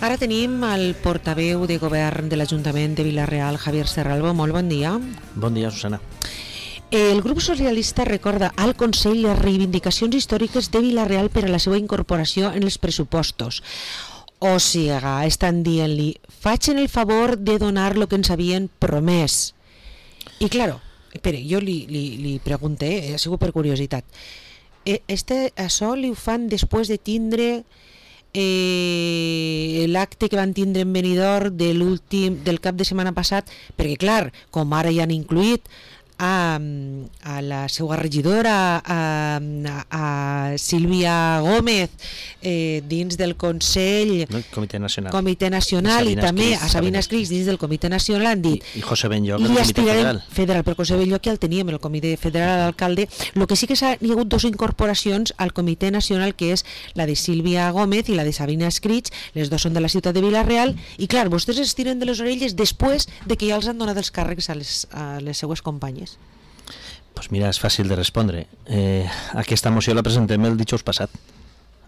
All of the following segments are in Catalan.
Ara tenim el portaveu de govern de l'Ajuntament de Vila-real, Javier Serralbo. Molt bon dia. Bon dia, Susana. El grup socialista recorda al Consell les reivindicacions històriques de Vila-real per a la seva incorporació en els pressupostos. O sigui, estan dient-li, facin el favor de donar el que ens havien promès. I, claro, espera, jo li pregunté, ha sigut per curiositat, això li ho fan després de tindre l'acte que van tindre en Benidorm del cap de setmana passat, perquè clar, com ara ja han incluït a la seva regidora, a Sílvia Gómez, dins del Consell Comitè Nacional, i també a Sabina Escrics dins del Comitè Nacional, han dit i José Benlloc del Comitè Federal, però José Benlloc ja el teníem en el Comitè Federal d'Alcalde. El que sí que hi ha hagut dues incorporacions al Comitè Nacional, que és la de Sílvia Gómez i la de Sabina Escrics, les dues són de la ciutat de Vila-real, i clar, vostès es tiren de les orelles després de que ja els han donat els càrrecs a les seues companyes. Pues mira, és fàcil de respondre. Aquesta moció la presentem el dijous passat,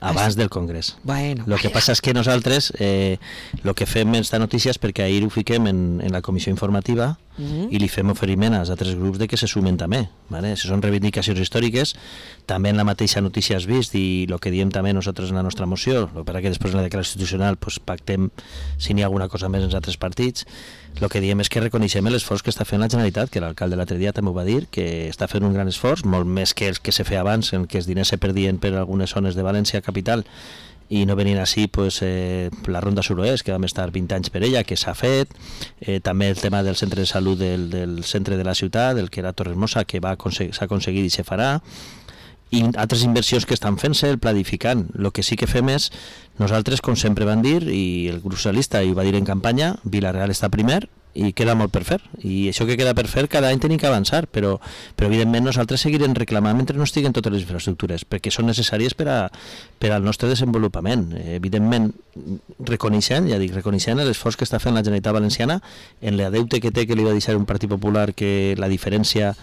abans del Congrés. Bueno, lo que passa és que nosaltres el que fem esta notícia és perquè ahir ho fiquem en la comissió informativa i li fem oferiment als altres grups de que se sumen també. ¿Vale? Si són reivindicacions històriques, també en la mateixa notícia has vist, i el que diem també nosaltres en la nostra moció, perquè després en la declaració institucional pues, pactem si n'hi ha alguna cosa més en els altres partits. El que diem és que reconeixem l'esforç que està fent la Generalitat, que l'alcalde l'altre dia també ho va dir, que està fent un gran esforç, molt més que el que se feia abans, en què els diners se perdien per algunes zones de València capital i no venien així pues, la Ronda Suroest, que vam estar 20 anys per ella, que s'ha fet, també el tema del centre de salut del centre de la ciutat, el que era Torremosa, que s'ha aconseguit i se farà, i altres inversions que estan fent-se, el planificant. El que sí que fem és, nosaltres, com sempre van dir, i el grup socialista hi va dir en campanya, Vila-real està primer, i queda molt per fer, i això que queda per fer cada any tenim que avançar, però evidentment nosaltres seguirem reclamant mentre no estiguen totes les infraestructures, perquè són necessàries per al nostre desenvolupament. Evidentment, reconeixent l'esforç que està fent la Generalitat Valenciana en la deute que té, que li va deixar un Partit Popular, que la diferència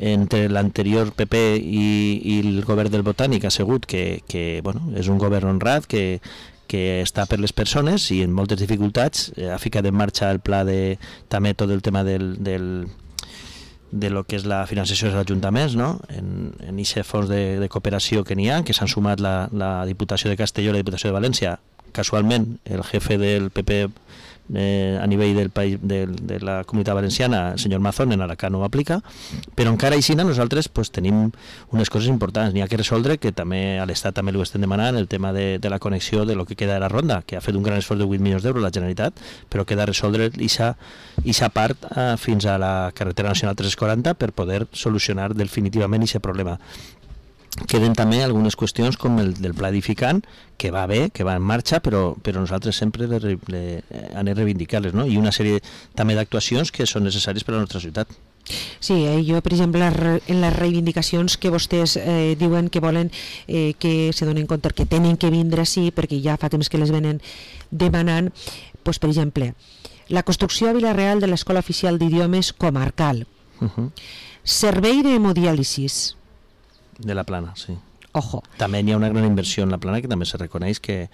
entre l'anterior PP i el govern del Botànic ha sigut que bueno, és un govern honrat, que està per les persones i en moltes dificultats. Ha ficat en marxa el pla de també tot el tema de lo que és la finançació dels ajuntaments, no? en aquest fons de cooperació que n'hi ha, que s'han sumat la Diputació de Castelló i la Diputació de València. Casualment, el jefe del PP a nivell del país, de la Comunitat Valenciana, el senyor Mazón, en Alacant ho aplica, però encara així nosaltres pues, tenim unes coses importants. N'hi ha que resoldre, que també a l'Estat també ho estem demanant, el tema de la connexió de lo que queda de la Ronda, que ha fet un gran esforç de 8 milions d'euros la Generalitat, però queda resoldre aquesta part fins a la carretera nacional 340 per poder solucionar definitivament aquest problema. Queden també algunes qüestions com el del pla edificant, que va bé, que va en marxa, però nosaltres sempre anem a reivindicar-les, no? I una sèrie també d'actuacions que són necessàries per a la nostra ciutat. Sí, jo, per exemple, en les reivindicacions que vostès diuen que volen que se donen compte que tenen que vindre així, perquè ja fa temps que les venen demanant, doncs, per exemple, la construcció a Vila-real de l'Escola Oficial d'Idiomes Comarcal, servei d'hemodiàlisis de la Plana, sí. Ojo. També hi ha una gran inversió en la Plana, que també se reconeix que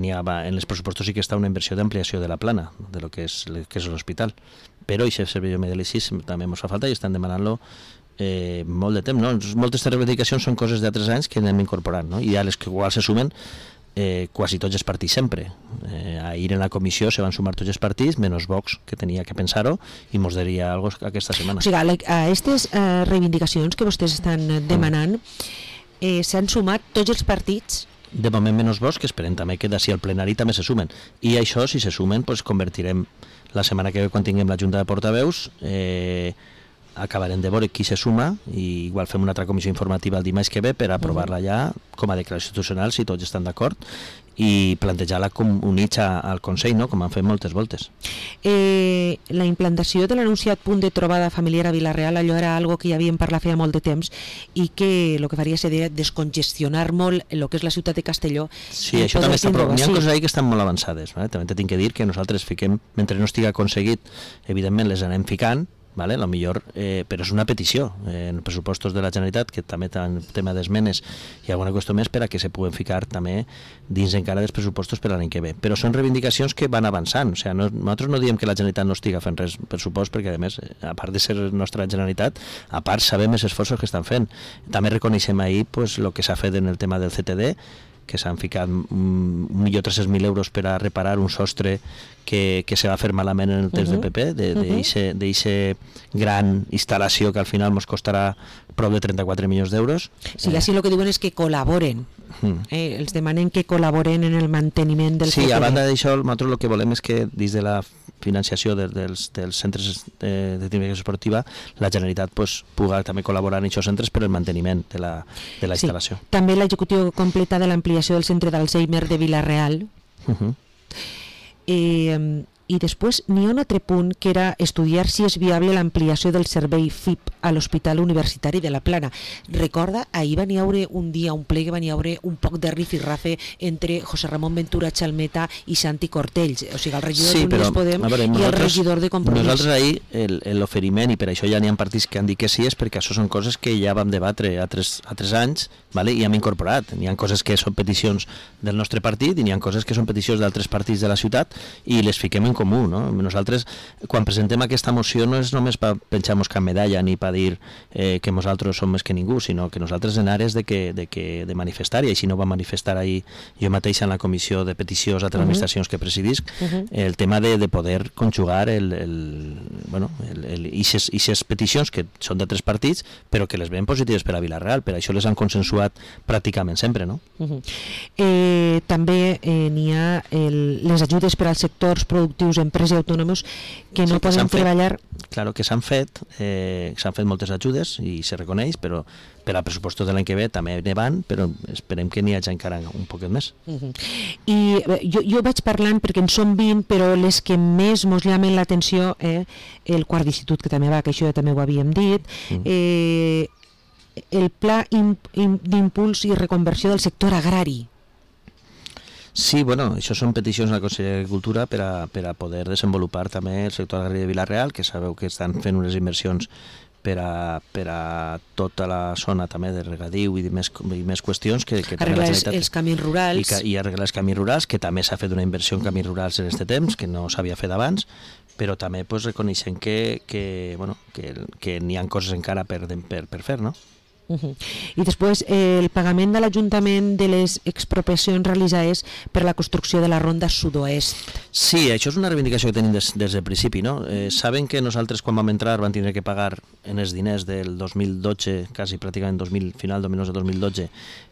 n'hi ha, en els pressupostos sí que està una inversió d'ampliació de la Plana, de lo que és l'hospital. Però aquest servei d'hemodiàlisis també ens fa falta i estan demanant-lo molt de temps, no? Moltes reivindicacions són coses d'altres anys que anem incorporant, no? I a les que igual se sumen quasi tots els partits sempre. Ahir en la comissió se van sumar tots els partits, menys Vox, que tenia que pensar-ho, i mos diria alguna cosa aquesta setmana. O sigui, a aquestes reivindicacions que vostès estan demanant s'han sumat tots els partits? De moment menys Vox, que esperem també que d'ací al plenari també se sumen. I això, si se sumen, pues, convertirem la setmana que ve, quan tinguem la Junta de Portaveus, acabarem de veure qui se suma, i igual fem una altra comissió informativa el dimarts que ve per aprovar-la ja com a declaració institucional, si tots estan d'acord, i plantejar-la com units al Consell, no? Com han fet moltes voltes. La implantació de l'anunciat punt de trobada familiar a Vila-real, allò era algo que ja havíem parlat feia molt de temps i que el que faria seria descongestionar molt el que és la ciutat de Castelló. Sí, això també està prou. N'hi ha coses ahí que estan molt avançades, també tinc que dir que nosaltres fiquem, mentre no estigui aconseguit, evidentment les anem ficant, vale? Lo millor, però és una petició en pressupostos de la Generalitat, que també té tema d'esmenes i alguna qüestió més per a que se puguen ficar també dins encara dels pressupostos per l'any que ve. Però són reivindicacions que van avançant, o sigui, nosaltres no diem que la Generalitat no estiga fent res pressupost, perquè a més, a part de ser nostra Generalitat, a part sabem els esforços que estan fent. També reconeixem ahir pues, el que s'ha fet en el tema del CTD, que s'han ficat 1.300.000 euros per a reparar un sostre que se va fer malament en el temps del PP, d'eixa gran instal·lació que al final ens costarà prop de 34 milions d'euros. Sí, així el que diuen és que col·laboren. Els demanen que col·laboren en el manteniment del Sí, CTD. a banda d'això, nosaltres el que volem és que dins de la financiació dels centres de tecnologia esportiva, la Generalitat pues, pugui també col·laborar en aquests centres per el manteniment de la instal·lació. També l'execució completa de l'ampliació del centre d'Alzheimer de Vila-real. I després n'hi ha un altre punt que era estudiar si és viable l'ampliació del servei FIP a l'Hospital Universitari de la Plana. Recorda, ahir van hi haure un dia, un ple que van hi haure un poc de rifirrafe entre José Ramon Ventura Chalmeta i Santi Cortells, o sigui el regidor d'Unides Podem i el regidor de Compromís. Nosaltres ahir l'oferiment, i per això ja n'hi ha partits que han dit que sí, és perquè això són coses que ja vam debatre a tres anys, vale? I hem incorporat. N'hi ha coses que són peticions del nostre partit i n'hi ha coses que són peticions d'altres partits de la ciutat i les fiquem en comú, no? Nosaltres, quan presentem aquesta moció, no és només per penjar-nos cap medalla ni per dir que nosaltres som més que ningú, sinó que nosaltres en ares de manifestar, i així no va manifestar ahir jo mateix en la comissió de peticions a les administracions que presidisc, el tema de poder conjugar ixes peticions que són d'altres partits, però que les veiem positives per a Vila-real, per això les han consensuat pràcticament sempre, no? També n'hi ha les ajudes per als sectors productius, empreses i autònoms que no poden treballar. Claro, que s'han fet moltes ajudes i se reconeix, però per a pressupostos de l'any que ve també ne van, però esperem que n'hi hagi encara un poquet més. I jo vaig parlant perquè en som 20, però les que més mos llamen l'atenció, el quart d'institut que també va, que això ja també ho havíem dit, el pla d'impuls i reconversió del sector agrari. Sí, bueno, això són peticions a la Conselleria d'Agricultura per a poder desenvolupar també el sector agrari de Vila-real, que sabeu que estan fent unes inversions per a tota la zona també de regadiu i més qüestions que arreglar els camins rurals i arreglar els camins rurals, que també s'ha fet una inversió en camins rurals en aquest temps, que no s'havia fet abans, però també pues, reconeixem que n'hi ha coses encara per fer, no? I després el pagament de l'Ajuntament de les expropiacions realitzades per la construcció de la ronda sud-oest. Sí, això és una reivindicació que tenim des del principi, no? Saben que nosaltres quan vam entrar van tindre que pagar en els diners del 2012, quasi pràcticament final 2012,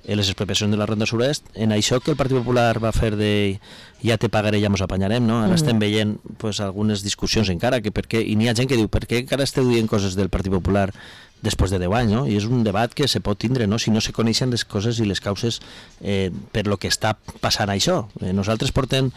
les expropiacions de la ronda sud-oest. En això que el Partit Popular va fer de ja te pagaré, ja mos apanyarem, no? Ara estem veient pues, algunes discussions encara, i n'hi ha gent que diu per què encara esteu dient coses del Partit Popular després de 10 anys, no? I és un debat que se pot tindre, no? Si no se coneixen les coses i les causes per lo que està passant això. Nosaltres portem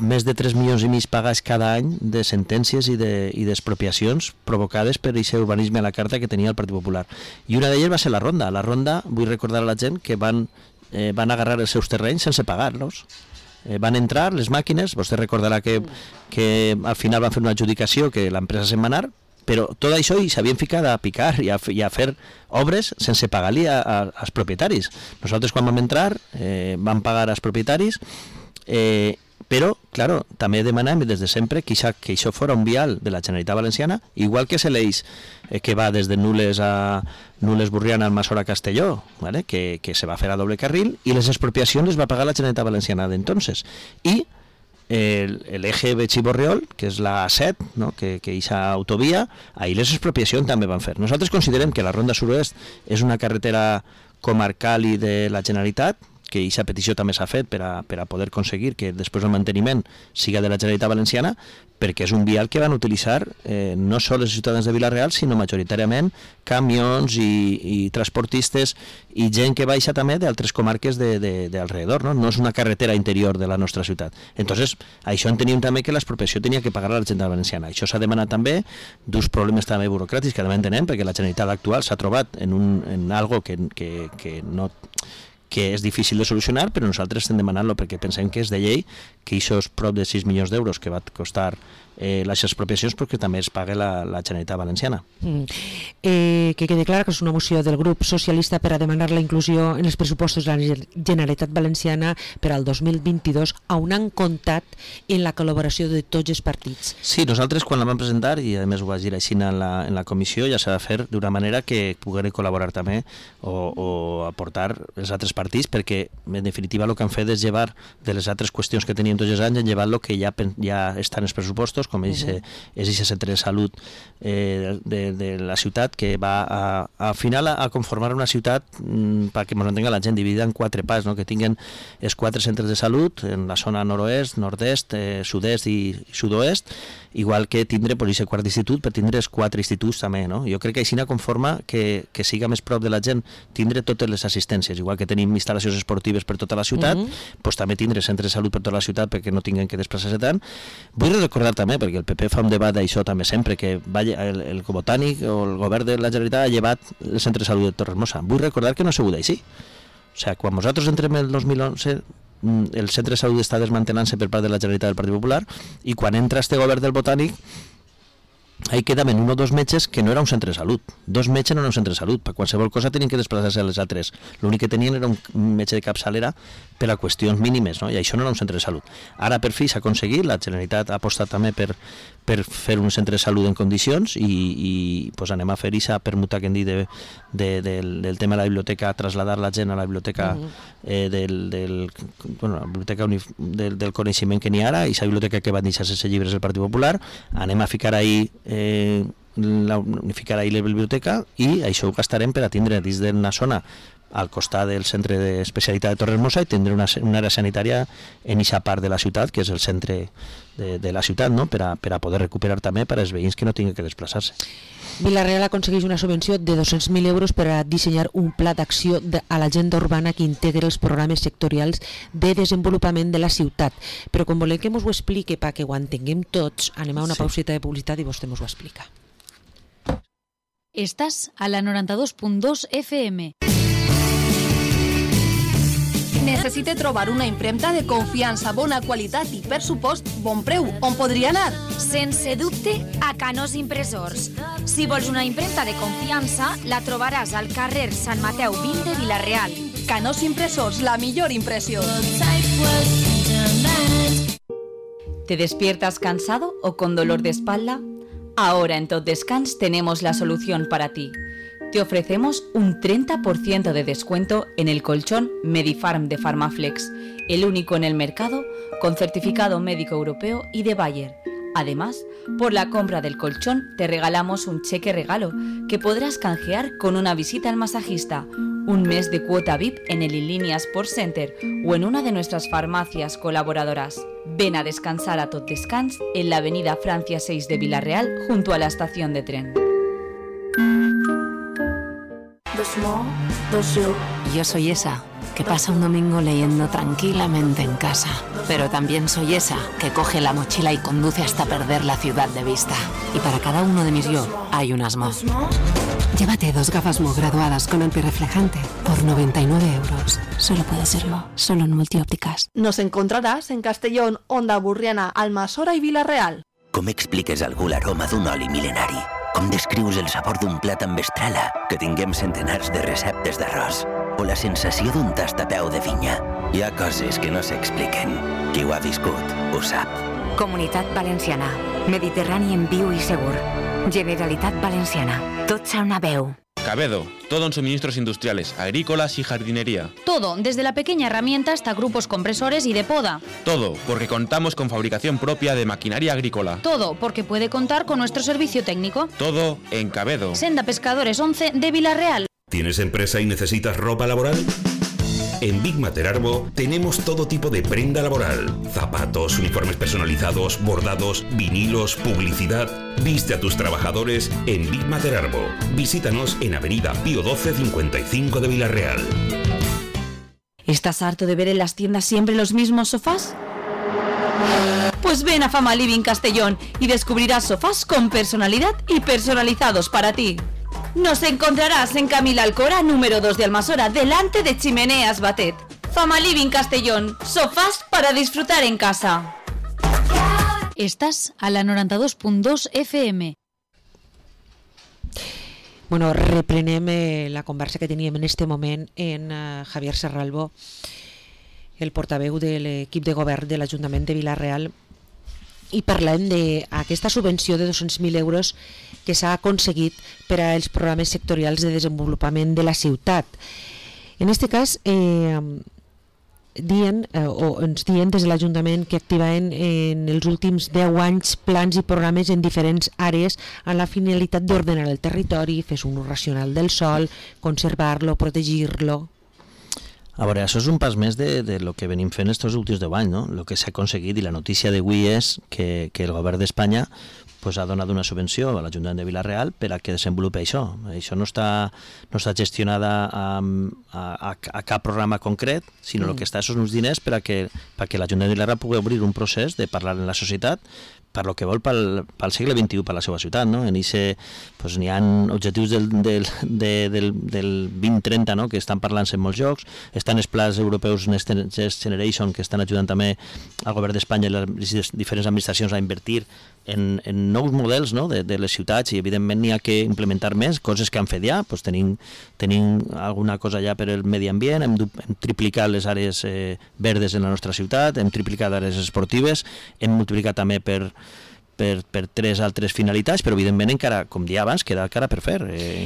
més de 3 milions i mig pagats cada any de sentències i d'expropiacions provocades per aquest urbanisme a la carta que tenia el Partit Popular. I una d'elles va ser la ronda. La ronda, vull recordar a la gent que van agarrar els seus terrenys sense pagar-los. Van entrar les màquines, vostè recordarà que al final van fer una adjudicació que l'empresa se'n va anar, però tot això i s'havien ficat a picar i a fer obres sense pagar-li als propietaris. Nosaltres quan vam entrar vam pagar als propietaris, però, claro, també demanem des de sempre que això fos un vial de la Generalitat Valenciana, igual que és l'eix que va des de Nules a Nules-Burriana al Masora Castelló, ¿vale? que se va fer a doble carril, i les expropiacions les va pagar la Generalitat Valenciana d'entonces. I el eje Betxí-Borriol, que és la A7, no? que eixa autovia, ahir les expropiacions també van fer. Nosaltres considerem que la Ronda Sud-oest és una carretera comarcal i de la Generalitat, que aquesta petició també s'ha fet per a poder aconseguir que després el manteniment siga de la Generalitat Valenciana, perquè és un vial que van utilitzar no sols els ciutadans de Vila-real, sinó majoritàriament camions i transportistes i gent que baixa també d'altres comarques d'alrededor, no? No és una carretera interior de la nostra ciutat. Entonces, això enteníem també que l'expropiació tenia que pagar a la Generalitat Valenciana. Això s'ha demanat també d'uns problemes també burocràtics que també entenem, perquè la Generalitat actual s'ha trobat en algo que que és difícil de solucionar, però nosaltres estem demanant-lo perquè pensem que és de llei, que això és prop de 6 milions d'euros que va costar les expropiacions, perquè també es paga la Generalitat Valenciana. Que quede clar que és una moció del grup socialista per a demanar la inclusió en els pressupostos de la Generalitat Valenciana per al 2022, on han comptat en la col·laboració de tots els partits. Sí, nosaltres quan la vam presentar, i a més ho vaig dir així en la comissió, ja s'ha de fer d'una manera que puguem col·laborar també o aportar els altres partits, perquè en definitiva el que han fet és llevar de les altres qüestions que teníem tots els anys, llevar el que ja està en els pressupostos, com és aquest centre de salut de la ciutat, que va al final a conformar una ciutat, perquè ens entenga la gent, dividida en 4 parts, no? Que tinguin els 4 centres de salut en la zona nord-oest, nord-est, sud-est i sud-oest, igual que tindre aquest quart d'institut per tindre els 4 instituts també, no? Jo crec que així conforma que siga més prop de la gent tindre totes les assistències, igual que tenim instal·lacions esportives per tota la ciutat, doncs també tindre centres de salut per tota la ciutat perquè no tinguin que desplaçar-se tant. Vull recordar també, perquè el PP fa un debat d'això també sempre, que el Botànic o el govern de la Generalitat ha llevat el centre de salut de Torremosa. Vull recordar que no ha sigut així. O sigui, quan nosaltres entrem el 2011, el centre de salut està desmantelant-se per part de la Generalitat del Partit Popular, i quan entra este govern del Botànic ahí quedaven 1 o 2 metges que no era un centre de salut. 2 metges no era un centre de salut. Per qualsevol cosa tenien que desplaçar-se a les altres. L'únic que tenien era un metge de capçalera per a qüestions mínimes, no? I això no era un centre de salut. Ara per fi s'ha aconseguit, la Generalitat ha apostat també per fer un centre de salut en condicions i pues anem a fer aquesta permuta que hem dit del tema de la biblioteca, traslladar la gent a la biblioteca la biblioteca del coneixement que n'hi ha ara, i la biblioteca que van deixar sense llibres del Partit Popular, anem a ficar ahí unificar ahí la biblioteca, i això ho gastarem per a tindre dins d'una zona al costat del centre d'especialitat de Torremosa i tindre una àrea sanitària en aquesta part de la ciutat, que és el centre de la ciutat, no? per a poder recuperar també per als veïns que no tinguin que desplaçar-se. Vila-real aconsegueix una subvenció de 200.000 euros per a dissenyar un pla d'acció a l'agenda urbana que integri els programes sectorials de desenvolupament de la ciutat. Però com volem que ens ho expliqui perquè ho entenguem tots, anem a una pausita de publicitat i vostè ens ho explica. Estàs a la 92.2 FM. Necessite trobar una impremta de confiança, bona qualitat i pressupost bon preu. On podria anar? Sense dubte, a Canós Impressors. Si vols una impremta de confiança, la trobaràs al carrer Sant Mateu 20 de Vila-real. Canós Impressors, la millor impressió. ¿Te despiertas cansado o con dolor de espalda? Ahora en Tot Descans tenemos la solución para ti. Te ofrecemos un 30% de descuento en el colchón Medifarm de Pharmaflex, el único en el mercado con certificado médico europeo y de Bayer. Además, por la compra del colchón te regalamos un cheque regalo que podrás canjear con una visita al masajista, un mes de cuota VIP en el Inlínea Sports Center o en una de nuestras farmacias colaboradoras. Ven a descansar a Tot Descans en la avenida Francia 6 de Vila-real junto a la estación de tren. Yo soy esa que pasa un domingo leyendo tranquilamente en casa, pero también soy esa que coge la mochila y conduce hasta perder la ciudad de vista. Y para cada uno de mis yo hay un Asmo. Llévate 2 gafas Mo graduadas con antirreflejante por 99 euros. Solo puede serlo, solo en Multiópticas. Nos encontraràs en Castellón, Onda Burriana, Almassora i Vila-real. Com expliques a algú l'aroma d'un oli mil·lenari? Com descrius el sabor d'un plat amb estrela que tinguem centenars de receptes d'arròs? O la sensació d'un tastapeu de vinya? Hi ha coses que no s'expliquen. Qui ho ha viscut ho sap. Comunitat Valenciana. Mediterrani en viu i segur. Generalitat Valenciana. Tots a una veu. Cabedo, todo en suministros industriales, agrícolas y jardinería. Todo, desde la pequeña herramienta hasta grupos compresores y de poda. Todo, porque contamos con fabricación propia de maquinaria agrícola. Todo, porque puede contar con nuestro servicio técnico. Todo en Cabedo. Senda Pescadores 11 de Vila-real. ¿Tienes empresa y necesitas ropa laboral? En Big Mater Arbo tenemos todo tipo de prenda laboral. Zapatos, uniformes personalizados, bordados, vinilos, publicidad. Viste a tus trabajadores en Big Mater Arbo. Visítanos en Avenida Pío 12 55 de Vila-real. ¿Estás harto de ver en las tiendas siempre los mismos sofás? Pues ven a Fama Living Castellón y descubrirás sofás con personalidad y personalizados para ti. Nos encontrarás en Camila Alcora, número 2 de Almasora, delante de Chimeneas Batet. Fama Living Castellón, sofás para disfrutar en casa. Estás a la 92.2 FM. Bueno, reprenem la conversa que teníem en este moment en Javier Serralbo, el portaveu de l'equip de govern de l'Ajuntament de Vila-real, i parlem d'aquesta subvenció de 200.000 euros que s'ha aconseguit per als programes sectorials de desenvolupament de la ciutat. En aquest cas, ens diuen des de l'Ajuntament que activaven en els últims 10 anys plans i programes en diferents àrees amb la finalitat d'ordenar el territori, fer un ús racional del sòl, conservar-lo, protegir-lo. A veure, això és un pas més de lo que venim fent estos últims 10 anys, no? El que s'ha aconseguit, i la notícia d'avui és que el govern d'Espanya ha donat una subvenció a l'Ajuntament de Vila-real per a que desenvolupi això. Això no està gestionada a cap programa concret, sinó el que està són uns diners perquè l'Ajuntament de Vila-real pugui obrir un procés de parlar en la societat per lo que vol pel segle XXI, per la seva ciutat, no? En ICE n'hi ha objectius del 2030, no? Que estan parlant-se en molts llocs, estan els plans europeus Next Generation que estan ajudant també al govern d'Espanya i les diferents administracions a invertir en nous models, no? de les ciutats, i evidentment n'hi ha que implementar més, coses que han fet ja, tenim alguna cosa ja per al medi ambient, hem triplicat les àrees verdes en la nostra ciutat, hem triplicat àrees esportives, hem multiplicat també per 3 altres finalitats, però evidentment encara, com dia abans, queda encara per fer.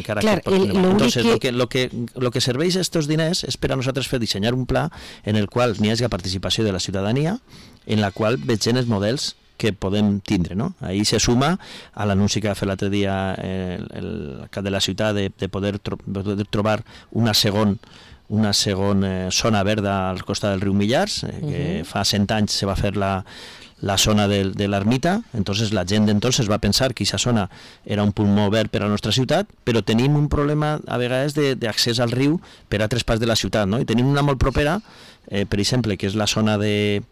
Entonces, lo que serveix estos diners és per a nosaltres fer dissenyar un pla en el qual n'hi hagi participació de la ciutadania, en la qual vegem els models que podem tindre, no? Ahí se suma a l'anunci que va fer l'altre dia el cap de la ciutat de poder trobar una segona zona verda al costat del riu Millars, que fa 100 anys se va fer la zona de l'ermita, entonces la gent d'entonces va pensar que aquesta zona era un pulmó verd per a la nostra ciutat, però tenim un problema a vegades d'accés al riu per a altres parts de la ciutat, no? I tenim una molt propera, per exemple, que és la zona del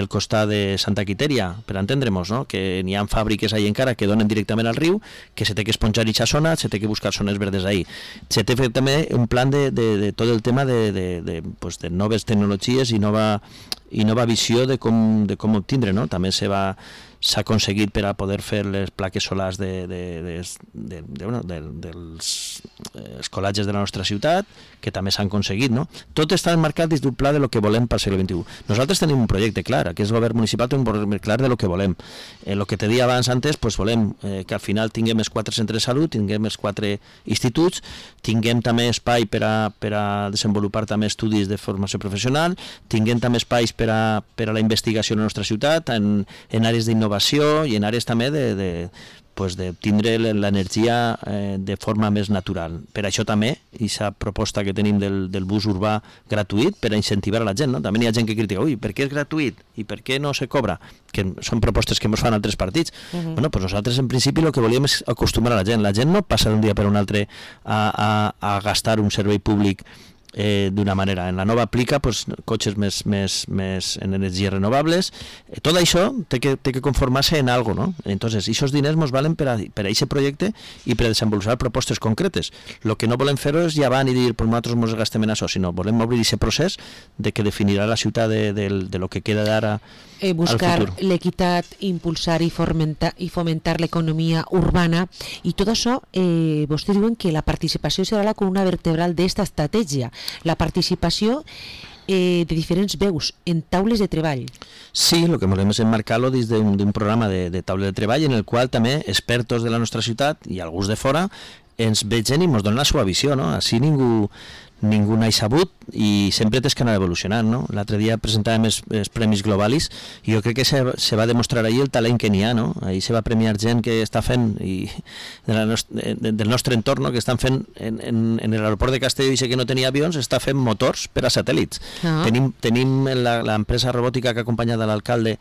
costat de Santa Quiteria, per entendre'ns, no? Que n'hi ha fàbriques ahí encara que donen directament al riu, que se té que esponjar aquesta zona, se té que buscar zones verdes ahí. Se té fet també un plan de tot el tema de noves tecnologies i nova visió de com obtindre, no? També s'ha aconseguit per a poder fer les plaques solars dels colatges de la nostra ciutat, que també s'han aconseguit, no? Tot està enmarcat dins d'un pla de lo que volem pel segle XXI. Nosaltres tenim un projecte clar, aquest govern municipal té un projecte clar de lo que volem. El que te deia abans antes, volem que al final tinguem els 4 centres de salut, tinguem els 4 instituts, tinguem també espai per a desenvolupar també estudis de formació professional, tinguem també espais per a la investigació en la nostra ciutat, en àrees d'innovació i en àrees també de tindre l'energia de forma més natural. Per això també, aquesta proposta que tenim del bus urbà gratuït per a incentivar a la gent, no? També hi ha gent que critica, per què és gratuït i per què no se cobra? Que són propostes que ens fan altres partits. Bueno, doncs nosaltres en principi el que volíem és acostumar a la gent. La gent no passa d'un dia per un altre a gastar un servei públic d'una manera. En la nova aplica cotxes més en energies renovables. Tot això té que conformar-se en algo, no? Entonces, aquests diners ens valen per a aquest projecte i per a desenvolupar propostes concretes. El que no volem fer és llevar i dir nosaltres ens gastem en això, sinó volem obrir aquest procés de que definirà la ciutat de lo que queda d'ara buscar l'equitat, impulsar i fomentar l'economia urbana, i tot això vostès diuen que la participació serà la columna vertebral d'esta estratègia, la participació de diferents veus en taules de treball. Sí, el que volem és emmarcar-lo dins d'un programa de taula de treball en el qual també expertos de la nostra ciutat i alguns de fora ens vegen i ens donen la seva visió, no? Així ningú n'ha sabut i sempre tens que anar evolucionant, no? L'altre dia presentàvem els Premis Globalis i jo crec que se va demostrar ahir el talent que n'hi ha, no? Ahir se va premiar gent que està fent del nostre entorn, no? Que estan fent en l'aeroport de Castelló, i sé que no tenia avions, està fent motors per a satèl·lits. Tenim l'empresa robòtica que ha acompanyat l'alcalde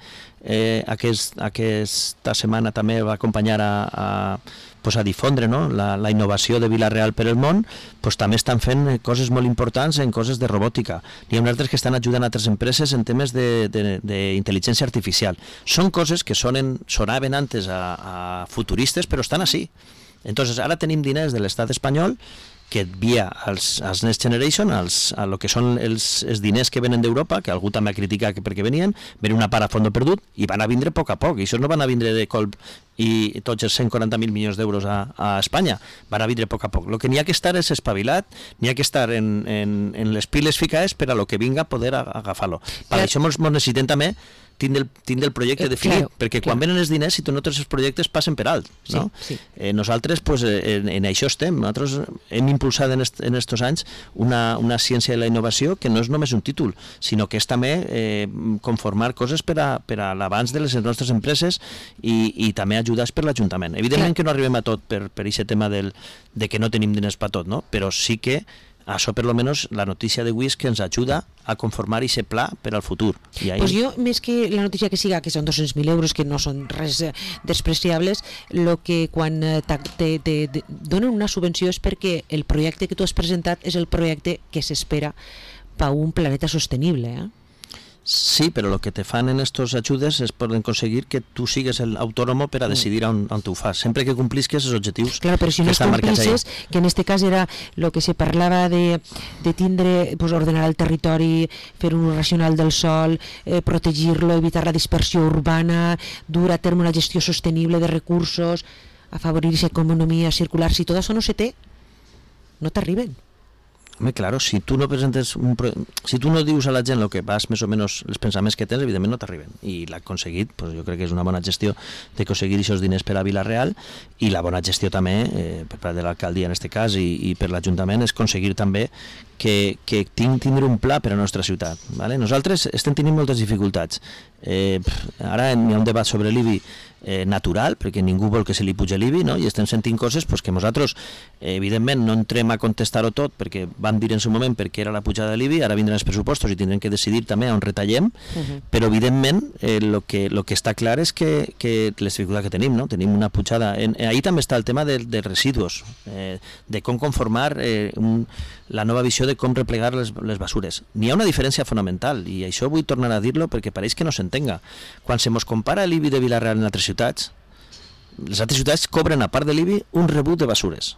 aquesta setmana, també va acompanyar a difondre, no? la innovació de Vila-real per el món, també estan fent coses molt importants en coses de robòtica. N'hi ha altres que estan ajudant a altres empreses en temes d'intel·ligència artificial. Són coses que sonaven antes a futuristes, però estan així. Entonces, ara tenim diners de l'estat espanyol que via als Next Generation, a lo que són els diners que venen d'Europa, que algú també ha criticat perquè venien una part a fons perdut, i van a vindre a poc a poc, i això no van a vindre de colp i tots els 140.000 milions d'euros a Espanya, van a vindre a poc a poc. El que n'hi ha que estar és espavilat, n'hi ha que estar en les piles ficades per a lo que vinga poder agafar-lo. Per això ens necessitem també tindre el projecte definit, perquè quan venen els diners, si tu no tens els projectes, passen per alt, no? Nosaltres en això estem. Nosaltres hem impulsat en estos anys una ciència de la innovació que no és només un títol, sinó que és també conformar coses per a l'abans de les nostres empreses i també ajudats per l'Ajuntament. Evidentment que no arribem a tot per aquest tema de que no tenim diners per tot, no? Però sí que això, per lo menos, la notícia d'avui és que ens ajuda a conformar aquest pla per al futur. Pues jo, més que la notícia que siga, que són 200.000 euros, que no són res despreciables, el que quan te donen una subvenció és perquè el projecte que tu has presentat és el projecte que s'espera per un planeta sostenible, Sí, però el que te fan en estos ajudes és poden aconseguir que tu sigues el autònomo per a decidir on tu ho fas, sempre que complisques els objectius que estan marcats ahí. Claro, però si no complisses, que en este cas era el que se parlava de tindre, pues, ordenar el territori, fer un ús racional del sol, protegir-lo, evitar la dispersió urbana, dur a terme una gestió sostenible de recursos, afavorir esa economia circular. Si tot això no se té, no t'arriben. Home, claro, si tu no presentes si tu no dius a la gent el que vas més o menys els pensaments que tens, evidentment no t'arriben, i l'ha aconseguit, pues jo crec que és una bona gestió d'aconseguir aquests diners per a Vila-real, i la bona gestió també per part de l'alcaldia en aquest cas i per l'Ajuntament és aconseguir també que tindre un pla per a la nostra ciutat, ¿vale? Nosaltres estem tenint moltes dificultats. Ara hi ha un debat sobre l'IBI natural, perquè ningú vol que se li puja l'IBI, no? I estem sentint coses que nosaltres evidentment no entrem a contestar-ho tot, perquè van dir en seu moment perquè era la pujada de l'IBI, ara vindran els pressupostos i tindrem que decidir també on retallem, però evidentment el que està clar és que les dificultats que tenim, no? Tenim una pujada, ahí també està el tema de residus, de com conformar la nova visió de com replegar les basures. N'hi ha una diferència fonamental, i això vull tornar a dir-lo perquè pareix que no s'entenga. Quan se mos compara l'IBI de Vila-real en altres ciutats, les altres ciutats cobren, a part de l'IBI, un rebut de basures.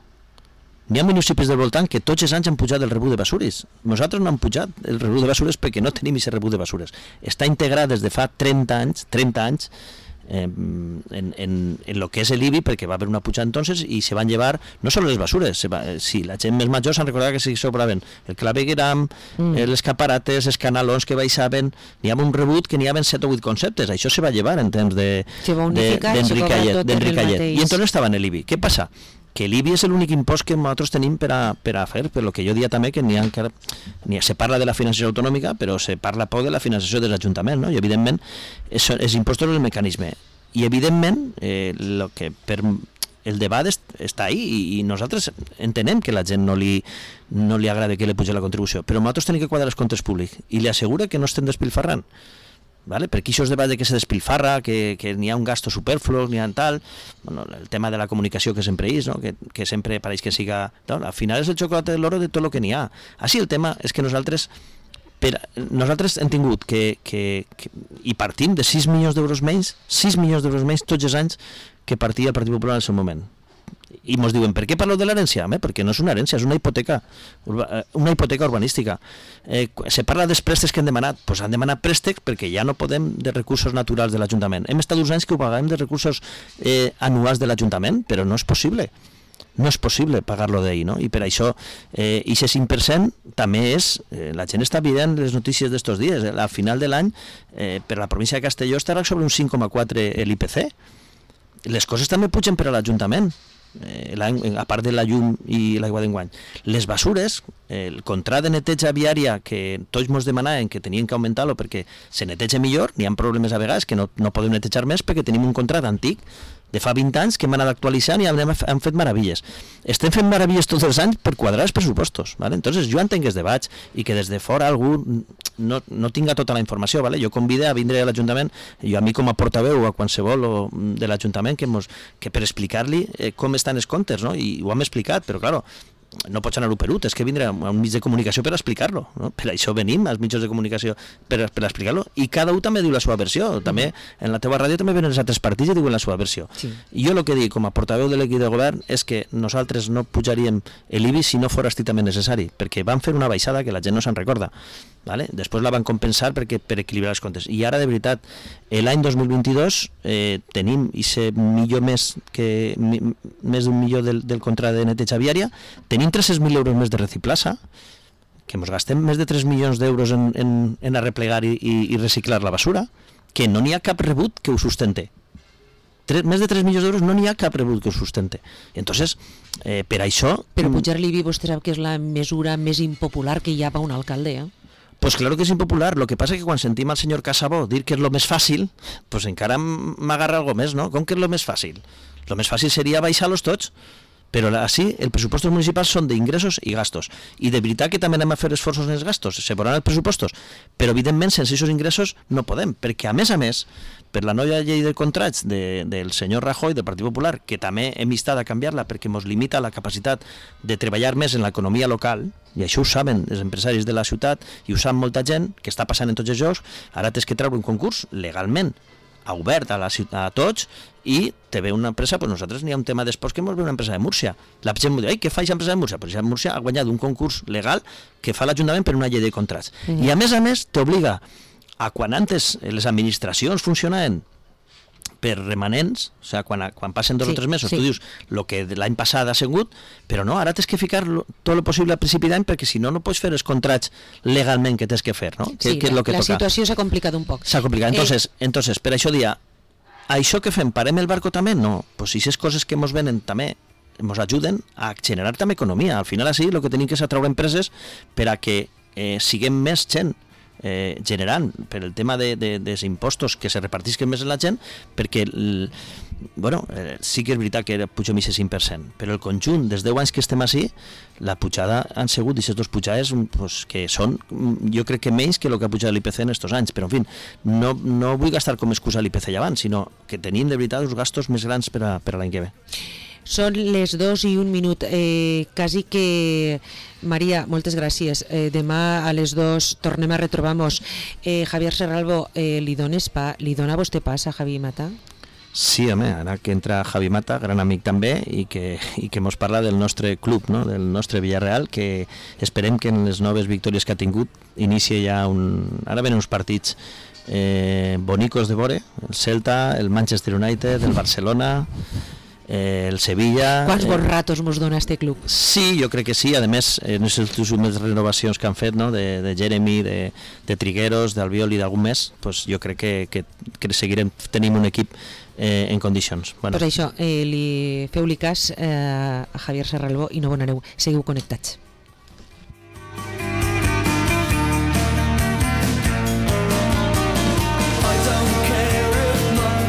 N'hi ha municipis del voltant que tots els anys han pujat el rebut de basures. Nosaltres no hem pujat el rebut de basures perquè no tenim aquest rebut de basures. Està integrat des de fa 30 anys en lo que és l'IBI, perquè va haver una pujada entonces i se van llevar no solo les basures, sí, la gent més major s'han recordat que se sobraven el clavegueram, les caparates, els canalons que baixaven, n'hi havia un rebut que n'hi havia 7 o 8 conceptes, això se va llevar en temps d'Enricallet, i entonces estava en l'IBI. Què passa? Que l'IBI és l'únic impost que nosaltres tenim per a fer, per lo que jo dia també que se parla de la finançació autonòmica, però se parla poc de la finançació dels ajuntaments, no? I evidentment els impostos és el mecanisme, i evidentment el debat està ahí, i nosaltres entenem que la gent no li agrada que li pugi la contribució, però nosaltres tenim que quadrar els comptes públics, i li assegura que no estem despilfarrant. ¿Vale? Perquè això es debat de que se despilfarra, que n'hi ha un gasto superfluo, n'hi ha tal, bueno, el tema de la comunicació que sempre és, no? que sempre pareix que siga... No, al final és el xocolate de l'oro de tot el que n'hi ha. Així el tema és que nosaltres hem tingut i partim de 6 milions d'euros menys tots els anys que partia el Partit Popular en el seu moment. I ens diuen, per què parleu de l'herència? Perquè no és una herència, és una hipoteca urbanística. Se parla dels préstecs que han demanat, doncs han demanat préstecs perquè ja no podem de recursos naturals de l'Ajuntament. Hem estat uns anys que ho paguem de recursos anuals de l'Ajuntament, però no és possible. No és possible pagar-lo d'ahir, no? I per això, aquest 5% també és... La gent està veient les notícies d'estos dies. Al final de l'any, per la província de Castelló estarà sobre un 5,4 l'IPC. Les coses també pugen per a l'Ajuntament, a part de la llum i l'aigua d'enguany. Les basures, el contrat de neteja viària que tots ens demanaven que tenien que augmentar-lo perquè se neteja millor, n'hi ha problemes a vegades que no podem netejar més perquè tenim un contrat antic de fa 20 anys que hem anat actualitzant i hem fet meravilles. Estem fent meravilles tots els anys per quadrar els pressupostos, ¿vale? Entonces jo entenc els debats i que des de fora algú no tinga tota la informació, ¿vale? Jo convido a vindre a l'Ajuntament, jo a mi com a portaveu o a qualsevol de l'Ajuntament que per explicar-li com estan els comptes, no? I ho hem explicat, però claro, no pots anar-ho per ut, és que vindrà a un mig de comunicació per explicar-lo, no? Per això venim als mitjans de comunicació per explicar-lo, i cada un també diu la seva versió, també en la teva ràdio també venen els altres partits i diuen la seva versió. I jo el que dic com a portaveu de l'equip de govern és que nosaltres no pujaríem l'IBI si no fos estrictament necessari, perquè van fer una baixada que la gent no se'n recorda. Vale? Després la van compensar per equilibrar els comptes. I ara, de veritat, l'any 2022 tenim millor més d'un milió del contracte de neteja viària, tenim 300.000 euros més de reciclassa, que ens gastem més de 3 milions d'euros en arreplegar i reciclar la basura, que no n'hi ha cap rebut que ho sustente. Més de 3 milions d'euros no n'hi ha cap rebut que ho sustente. Entonces, per això... Però pujar l'IBI vostè sap que és la mesura més impopular que hi ha per un alcalde, Pues claro que es impopular, lo que pasa es que cuando sentim al señor Casabó dir que es lo més fàcil, pues encara m'agarra algo més, no? Com que és lo més fàcil? Lo més fàcil seria baixar-los tots, però així els pressupostos municipals són d'ingressos i gastos, i de veritat que també anem a fer esforços en els gastos, se veuran els pressupostos, però evidentment sense aquests ingressos no podem, perquè a més, per la nova llei de contrats del senyor Rajoy, del Partit Popular, que també hem instat a canviar-la perquè ens limita la capacitat de treballar més en l'economia local, i això ho saben els empresaris de la ciutat i ho sap molta gent, que està passant en tots els jocs, ara tens que treure un concurs legalment obert a tots, i te ve una empresa, pues nosaltres n'hi ha un tema d'esports que ens ve una empresa de Múrcia. La gent m'ho diu, què fa aquesta empresa de Múrcia? Pues ja Múrcia ha guanyat un concurs legal que fa l'Ajuntament per una llei de contrats. I a més t'obliga a quan antes les administracions funcionaven per remanents, o sigui, quan passen 2 o 3 mesos, tu dius el que l'any passat ha sigut, però no, ara tens que ficar tot el possible al principi d'any, perquè si no, no pots fer els contrats legalment que tens que fer, no? Sí, la situació s'ha complicat un poc. S'ha complicat, entonces, per això dia, això que fem, parem el barco també? No, pues si aquestes coses que ens venen també ens ajuden a generar també economia. Al final, així, el que tenim que és atraure empreses per a que siguem més gent generant per el tema dels impostos que se repartisquen més en la gent, perquè sí que és veritat que pugem aquest 5%, però el conjunt dels 10 anys que estem així, la pujada han sigut aquestes 2 pujades que són, jo crec que menys que el que ha pujat l'IPC en aquests anys, però en fi, no vull gastar com excusa l'IPC ja abans, sinó que tenim de veritat uns gastos més grans per a l'any que ve. Són les 2 i 1 minut, quasi que... Maria, moltes gràcies. Demà a les 2 tornem a retrobar-nos. Javier Serralvo, li dona vostè pas a Javi Mata? Sí, home, ara que entra Javi Mata, gran amic també, i que ens parla del nostre club, no? Del nostre Villarreal, que esperem que en les noves victòries que ha tingut inicie ja ara venen uns partits bonicos de vore, el Celta, el Manchester United, el Barcelona, el Sevilla... Quants bons ratos ens dona este club? Sí, jo crec que sí, a més en les últimes renovacions que han fet, no? de Jeremy, de Trigueros, d'Albiol i d'algun més, pues jo crec que seguirem tenint un equip en condicions. Pues això, feu-li cas a Javier Serralvo i no bonareu, seguiu connectats.